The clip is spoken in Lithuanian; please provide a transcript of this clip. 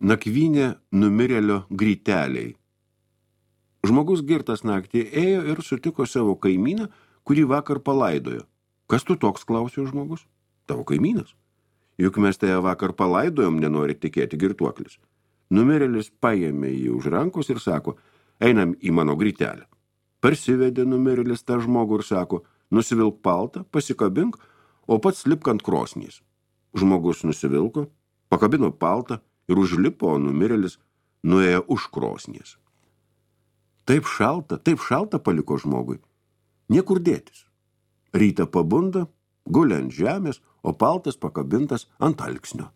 Nakvynė numirėlio gryteliai. Žmogus girtas naktį ėjo ir sutiko savo kaimyną, kurį vakar palaidojo. Kas tu toks, klausė žmogus? Tavo kaimynas. Juk mes tai vakar palaidojom, nenori tikėti girtuoklis. Numirėlis paėmė jį už rankos ir sako, einam į mano grytelę. Parsivedė numirėlis tą žmogų ir sako, nusivilk paltą, pasikabink, o pats lipk ant krosnys. Žmogus nusivilko, pakabino paltą ir užlipo, o numirėlis nuėjo už krosnys. Taip šalta paliko žmogui. Niekur dėtis. Rytą pabunda, guli ant žemės, o paltas pakabintas ant alksnio.